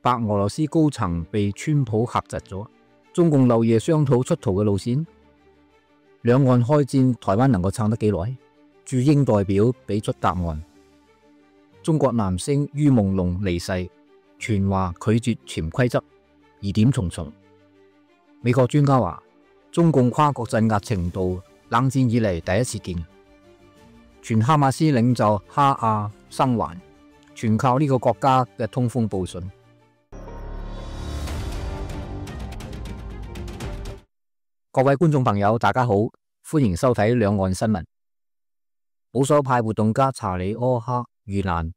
白俄羅斯高層被川普嚇窒咗，中共漏夜商討出逃嘅路線。兩岸開戰，台灣能夠撐得幾耐？駐英代表俾出答案。中國男星于夢龍離世，傳話拒絕潛規則，疑點重重。美國專家話，中共跨國鎮壓程度冷戰以嚟第一次見。傳哈馬斯領袖哈亞生還，全靠呢個國家嘅通風報信。各位觀眾朋友，大家好，歡迎收睇兩岸新聞。保守派活動家查理柯克遇難，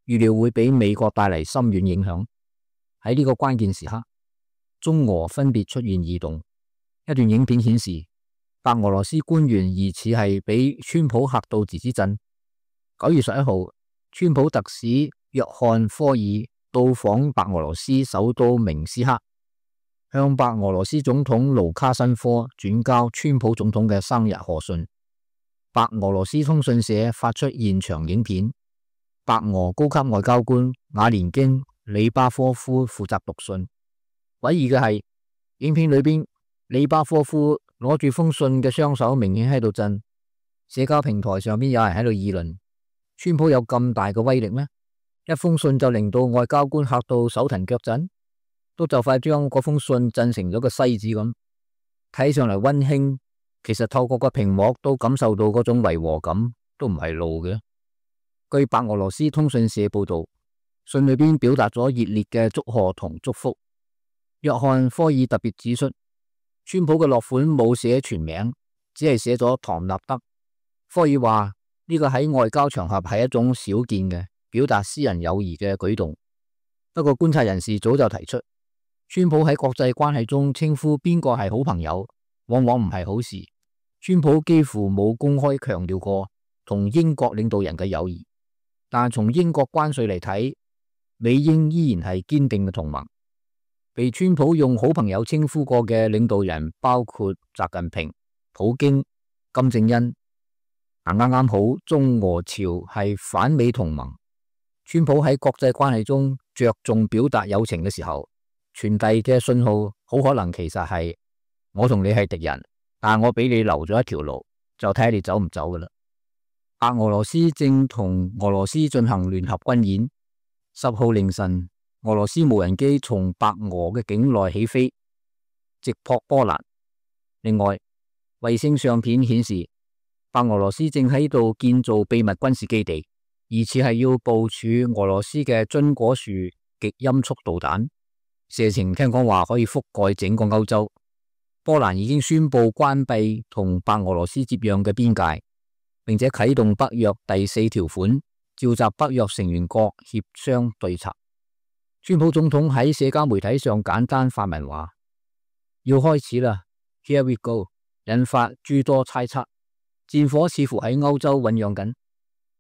預料會俾美國帶嚟深遠影響。喺呢個關鍵時刻，中俄分別出現異動。一段影片顯示，白俄羅斯官員疑似係俾川普嚇到自之震。9月11號，川普特使約翰科爾到訪白俄羅斯首都明斯克，向白俄羅斯總統盧卡申科轉交川普總統嘅生日賀信。白俄羅斯通訊社發出現場影片，白俄高級外交官瓦連京·里巴科夫負責讀信。詭異嘅係，影片裏邊里巴科夫攞住封信嘅雙手明顯喺度震。社交平台上邊有人喺度議論：川普有咁大嘅威力咩？一封信就令到外交官嚇到手騰腳震，都就快將嗰封信震成咗個西子咁。睇上嚟溫馨，其實透過個屏幕都感受到嗰種違和感，都唔係路嘅。據白俄羅斯通訊社報道，信裏邊表達咗熱烈嘅祝賀同祝福。約翰科爾特別指出，川普嘅落款冇寫全名，只係寫咗唐納德。科爾話呢個喺外交場合係一種少見嘅表達私人友誼嘅舉動。不過觀察人士早就提出，川普喺國際關係中稱呼邊個係好朋友，往往唔係好事。川普幾乎冇公開強調過同英國領導人嘅友誼，但從英國關稅嚟睇，美英依然係堅定嘅同盟。被川普用好朋友稱呼過嘅領導人包括習近平、普京、金正恩。啱啱好，中俄朝係反美同盟。川普喺國際關係中着重表達友情嘅時候，傳遞嘅信號好可能其實係我同你係敵人，但我俾你留咗一條路，就睇下你走唔走噶啦。白俄羅斯正同俄羅斯進行聯合軍演。10號凌晨，俄羅斯無人機從白俄嘅境內起飛，直撲波蘭。另外，衛星相片顯示，白俄羅斯正喺度建造秘密軍事基地，疑似係要部署俄羅斯嘅榛果樹極音速導彈。射程聽講話可以覆蓋整個歐洲。波蘭已經宣布關閉同白俄羅斯接壤嘅邊界，並且啟動北約第4條款，召集北約成員國協商對策。川普總統喺社交媒體上簡單發文話：要開始啦 ，Here we go， 引發諸多猜測。戰火似乎喺歐洲醞釀緊，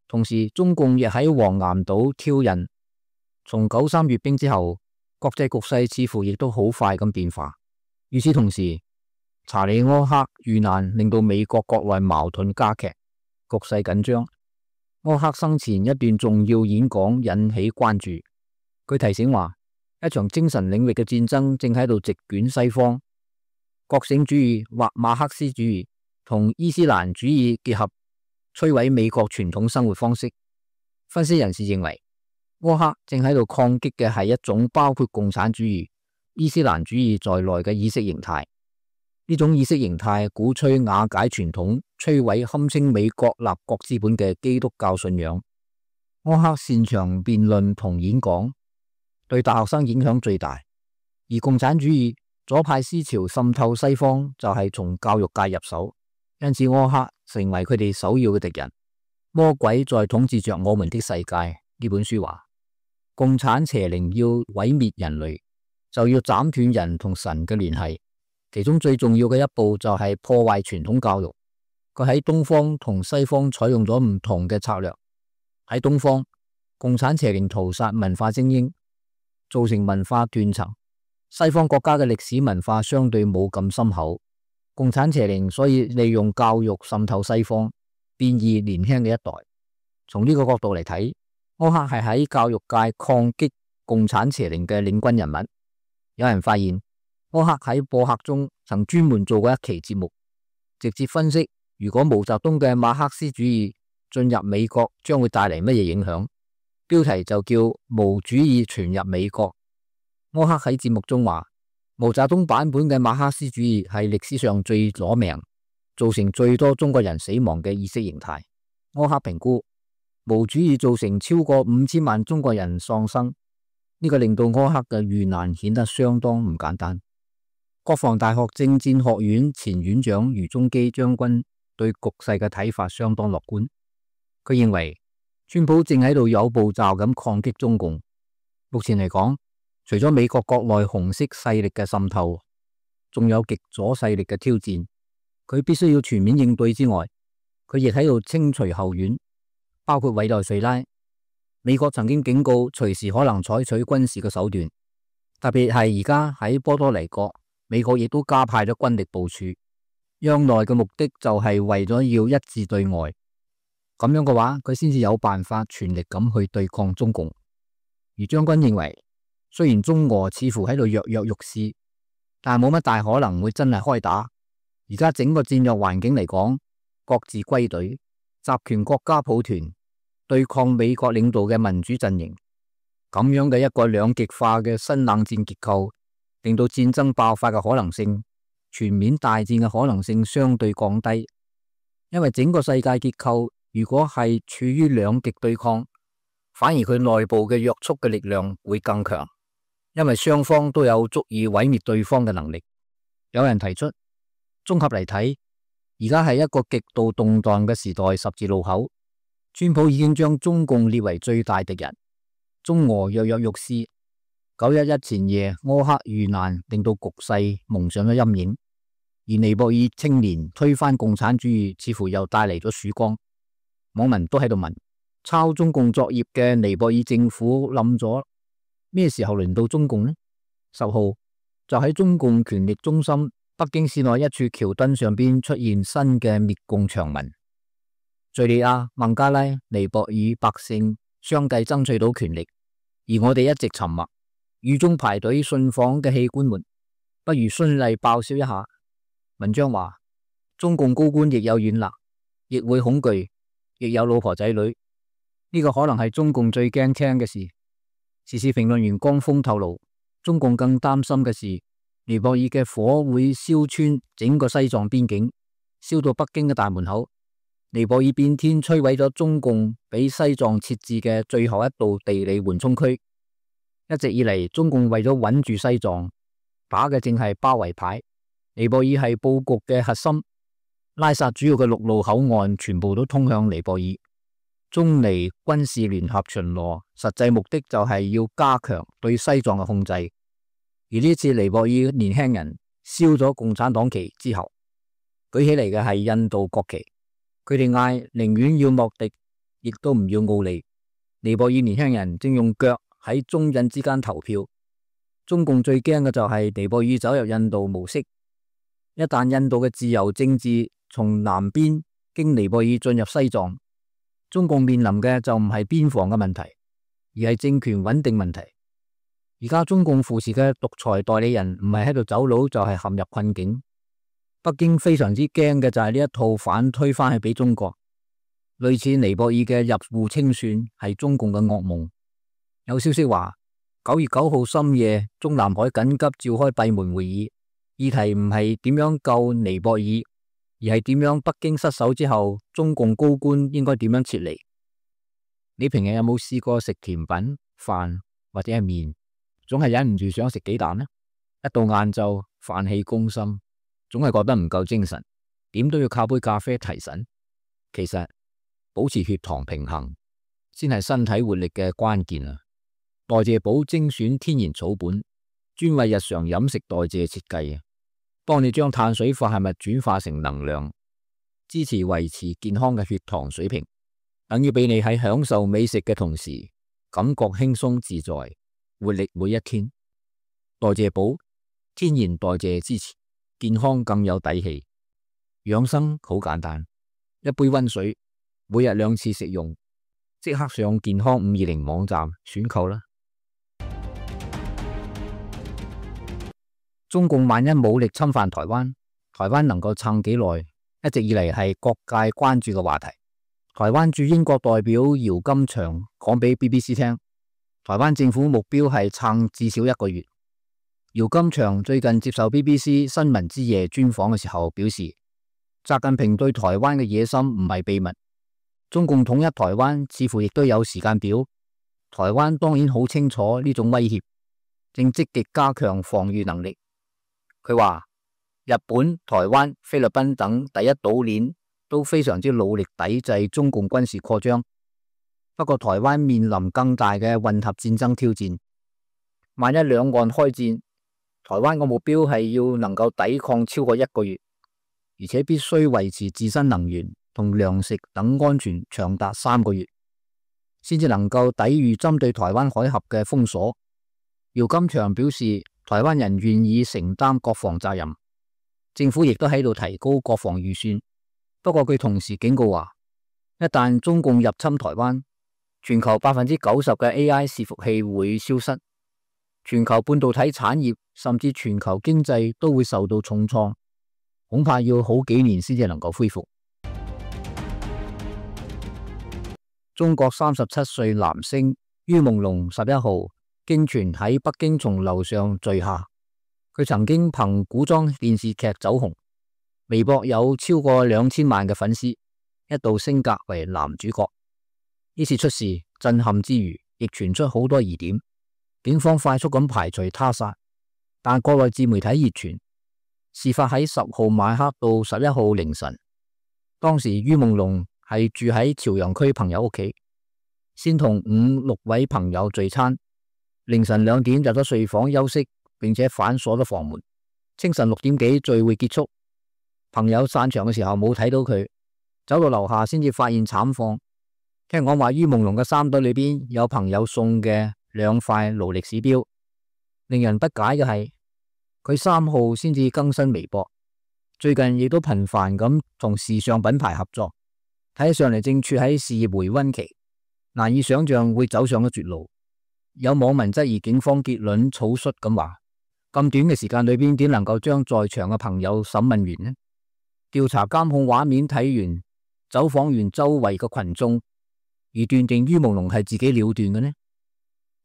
同時中共亦喺黃岩島挑釁。從93閱兵之後，國際局勢似乎亦都好快咁變化。與此同時，查理柯克遇難令到美國國內矛盾加劇，局勢緊張。柯克生前一段重要演講引起關注。佢提醒話，一場精神領域嘅戰爭正喺度席捲西方，覺醒主義或馬克思主義同伊斯蘭主義結合，摧毀美國傳統生活方式。分析人士認為，柯克正喺度抗擊嘅係一種包括共產主義、伊斯蘭主義在內嘅意識形態。呢種意識形態鼓吹瓦解傳統，摧毀堪稱美國立國之本嘅基督教信仰。柯克擅長辯論同演講，對大學生影響最大。而共產主義左派思潮滲透西方就係從教育界入手，因此柯克成為佢哋首要嘅敵人。魔鬼在統治着我們的世界呢本書話，共產邪靈要毀滅人類，就要斬斷人同神嘅聯繫，其中最重要嘅一步就係破壞傳統教育。佢喺東方同西方採用咗唔同嘅策略。喺東方，共產邪靈屠殺文化精英，造成文化斷層。西方國家嘅歷史文化相對冇咁深厚，共產邪靈所以利用教育滲透西方，變異年輕嘅一代。從呢個角度嚟睇，柯克係喺教育界抗擊共產邪靈嘅領軍人物。有人發現柯克喺播客中曾專門做過一期節目，直接分析如果毛澤東嘅馬克思主義進入美國將會帶嚟乜嘢影響，標題就叫毛主義傳入美國。柯克喺節目中話，毛澤東版本嘅馬克思主義係歷史上最攞命，造成最多中國人死亡嘅意識形態。柯克評估毛主義造成超過5000萬中國人喪生，呢個令到柯克嘅遇難顯得相當唔簡單。國防大學政戰學院前院長余宗基將軍對局勢嘅睇法相當樂觀，佢認為川普正喺度有步驟咁抗擊中共。目前嚟講，除咗美國國內紅色勢力嘅滲透，仲有極左勢力嘅挑戰，佢必須要全面應對之外，佢亦喺度清除後院，包括委內瑞拉。美國曾經警告隨時可能採取軍事嘅手段，特別係而家喺波多黎各，美國亦都加派咗軍力部署。央內嘅目的就係為咗要一致對外，咁樣嘅話，佢先至有辦法全力咁去對抗中共。而將軍認為，雖然中俄似乎喺度躍躍欲試，但係冇乜大可能會真係開打。而家整個戰略環境嚟講，各自歸隊，集權國家抱團對抗美國領導嘅民主陣營，咁樣嘅一個兩極化嘅新冷戰結構，令到戰爭爆發嘅可能性、全面大戰嘅可能性相對降低。因為整個世界結構如果係處於兩極對抗，反而佢內部嘅約束嘅力量會更強，因為雙方都有足以毀滅對方嘅能力。有人提出，綜合嚟睇，而家係一個極度動盪嘅時代十字路口，川普已經將中共列為最大敵人，中俄躍躍欲試。911前夜柯克遇難，令到局勢蒙上咗陰影，而尼泊爾青年推翻共產主義似乎又帶嚟咗曙光。網民都喺度問，抄中共作業嘅尼泊爾政府冧咗，咩時候輪到中共呢？10號就喺中共權力中心北京市內一處橋墩上邊出現新嘅滅共長文，敘利亞、孟加拉、尼泊爾百姓相繼爭取到權力，而我哋一直沉默。雨中排隊信訪嘅器官們，不如循例爆笑一下。文章話，中共高官亦有軟肋，亦會恐懼，亦有老婆仔女，呢個可能係中共最驚聽嘅事。時事評論員江峰透露，中共更擔心嘅是，尼泊爾嘅火會燒穿整個西藏邊境，燒到北京嘅大門口。尼泊爾變天摧毀咗中共俾西藏設置嘅最後一道地理緩衝區。一直以嚟，中共為咗穩住西藏，打嘅正係包圍牌。尼泊爾係布局嘅核心，拉薩主要嘅陸路口岸全部都通向尼泊爾。中尼軍事聯合巡邏，實際目的就係要加強對西藏嘅控制。而呢次尼泊爾年輕人燒咗共產黨旗之後，舉起嚟嘅係印度國旗，佢哋嗌寧願要莫迪，亦都唔要奧利。尼泊爾年輕人正用腳喺中印之間投票。中共最驚嘅就係尼泊爾走入印度模式，一旦印度嘅自由政治從南邊經尼泊爾進入西藏，中共面臨嘅就唔係邊防嘅問題，而係政權穩定問題。而家中共扶持嘅獨裁代理人唔係喺度走佬，就係陷入困境。北京非常之驚嘅就係呢一套反推翻去俾中國，類似尼泊爾嘅入戶清算係中共嘅噩夢。有消息話9月9號深夜，中南海緊急召開閉門會議，議題唔係點樣救尼泊爾，而係點樣北京失守之後，中共高官應該點樣撤離。你平日有冇試過食甜品、飯或者係麵，總係忍唔住想食雞蛋呢？一到晏晝飯氣攻心，總係覺得唔夠精神，點都要靠杯咖啡提神。其實保持血糖平衡先係身體活力嘅關鍵啊！代謝寶精選天然草本，專為日常飲食代謝設計，幫你將碳水化合物轉化成能量，支持維持健康嘅血糖水平，等於俾你喺享受美食嘅同時，感覺輕鬆自在，活力每一天。代謝寶天然代謝支持，健康更有底氣。養生好簡單，一杯溫水，每日2次食用，即刻上健康520網站選購啦。中共萬一武力侵犯台灣，台灣能夠撐幾耐，一直以嚟係各界關注嘅話題。台灣駐英國代表姚金祥講俾 BBC 聽，台灣政府目標係撐至少1個月。姚金祥最近接受 BBC 新聞之夜專訪嘅時候表示，習近平對台灣嘅野心唔係秘密，中共統一台灣似乎亦都有時間表。台灣當然好清楚呢種威脅，正積極加強防禦能力。佢話日本、台灣、菲律賓等第一島鏈都非常之努力抵制中共軍事擴張，不過台灣面臨更大嘅混合戰爭挑戰。萬一兩岸開戰，台灣嘅目標係要能夠抵抗超過1個月，而且必須維持自身能源同糧食等安全長達3個月，先至能夠抵禦針對台灣海峽嘅封鎖。姚金祥表示，台灣人願意承擔國防責任，政府亦都喺度提高國防預算。不過佢同時警告話，一旦中共入侵台灣，全球90%嘅 AI 伺服器會消失，全球半導體產業甚至全球經濟都會受到重創，恐怕要好幾年先至能夠恢復。中國37歲男星于夢龍11號經傳喺北京從樓上墜下，佢曾經憑古裝電視劇走紅，微博有超過2000萬嘅粉絲，一度升格為男主角。呢次出事震撼之餘，亦傳出好多疑點，警方快速咁排除他殺，但國內自媒體熱傳事發喺10號晚黑到11號凌晨，當時于夢龍係住喺朝陽區朋友屋企，先同5、6位朋友聚餐，凌晨2點入咗睡房休息，並且反鎖咗房門。清晨6點幾聚會結束，朋友散場嘅時候冇睇到佢，走到樓下先至發現慘況。聽講話于夢龍嘅衫袋裏邊有朋友送嘅2塊勞力士錶。令人不解嘅係，佢3號先至更新微博，最近亦都頻繁咁同時尚品牌合作，睇上嚟正處喺事業回溫期，難以想象會走上咗絕路。有網民質疑警方結論草率咁話，咁短嘅時間裏邊點能夠將在場嘅朋友審問完呢？調查監控畫面睇完，走訪完周圍嘅群眾，而斷定于夢龍係自己了斷嘅呢？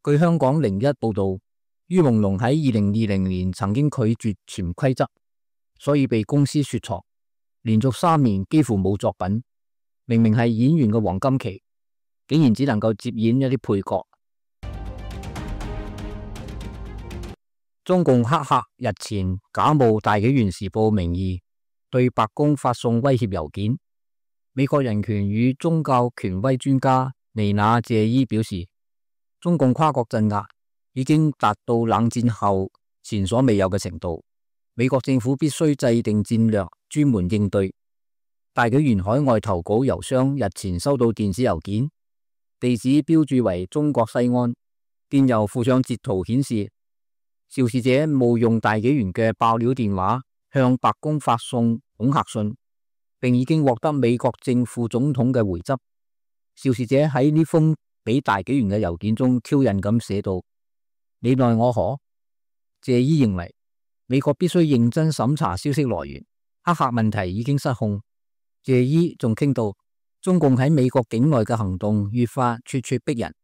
據香港01報道，于夢龍喺2020年曾經拒絕潛規則，所以被公司雪藏，連續3年幾乎冇作品。明明係演員嘅黃金期，竟然只能夠接演一啲配角。中共黑客日前假冒大紀元時報名義對白宮發送威脅郵件。美國人權與宗教權威專家尼娜謝伊表示，中共跨國鎮壓已經達到冷戰後前所未有嘅程度，美國政府必須制定戰略，專門應對。大紀元海外投稿郵箱日前收到電子郵件，地址標注為中國西安，電郵附上截圖顯示，肇事者冒用大紀元嘅爆料電話向白宮發送恐嚇信，並已經獲得美國正副總統嘅回執。肇事者喺呢封俾大紀元嘅郵件中挑釁咁寫道：你奈我何？謝伊認為美國必須認真審查消息來源，黑客問題已經失控。謝伊仲傾到中共喺美國境內嘅行動越發咄咄逼人，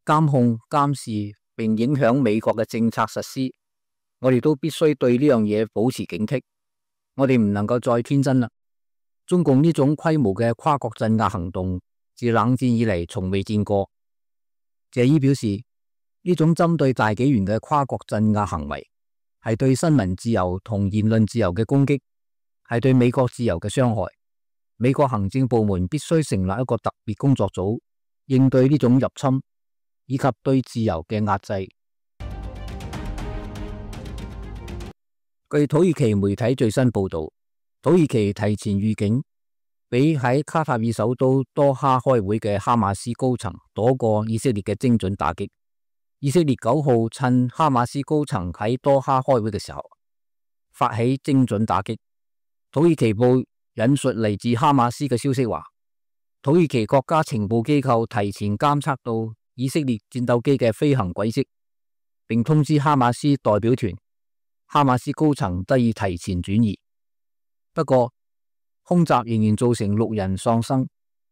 監控、監視並影響美國嘅政策實施。我哋都必須對呢樣嘢保持警惕。我哋唔能夠再天真啦。中共呢種規模嘅跨國鎮壓行動，自冷戰以嚟從未見過。謝伊表示，呢種針對大紀元嘅跨國鎮壓行為，係對新聞自由同言論自由嘅攻擊，係對美國自由嘅傷害。美國行政部門必須成立一個特別工作組，應對呢種入侵，以及對自由嘅壓制。據土耳其媒體最新報道，土耳其提前預警，俾喺卡塔爾首都多哈開會嘅哈馬斯高層躲過以色列嘅精準打擊。以色列9號趁哈馬斯高層喺多哈開會嘅時候，發起精準打擊。土耳其報引述嚟自哈馬斯嘅消息話，土耳其國家情報機構提前監測到以色列戰鬥機嘅飛行軌跡，並通知哈馬斯代表團，哈馬斯高層得以提前轉移。不過，空襲仍然造成6人喪生，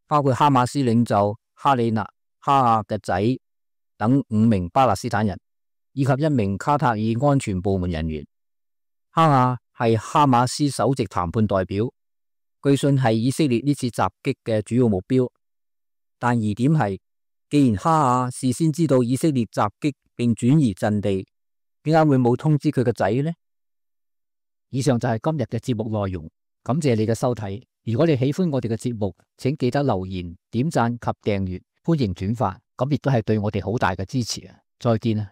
包括哈馬斯領袖哈里納·哈亞嘅仔等5名巴勒斯坦人，以及1名卡塔爾安全部門人員。哈亞係哈馬斯首席談判代表，據信係以色列呢次襲擊嘅主要目標。但疑點係，既然哈亞事先知道以色列襲擊並轉移陣地，點解會冇通知佢個仔呢？以上就係今日嘅節目內容，感謝你嘅收睇。如果你喜歡我哋嘅節目，請記得留言、點讚及訂閱，歡迎轉發，咁亦都係對我哋好大嘅支持啊！再見啊！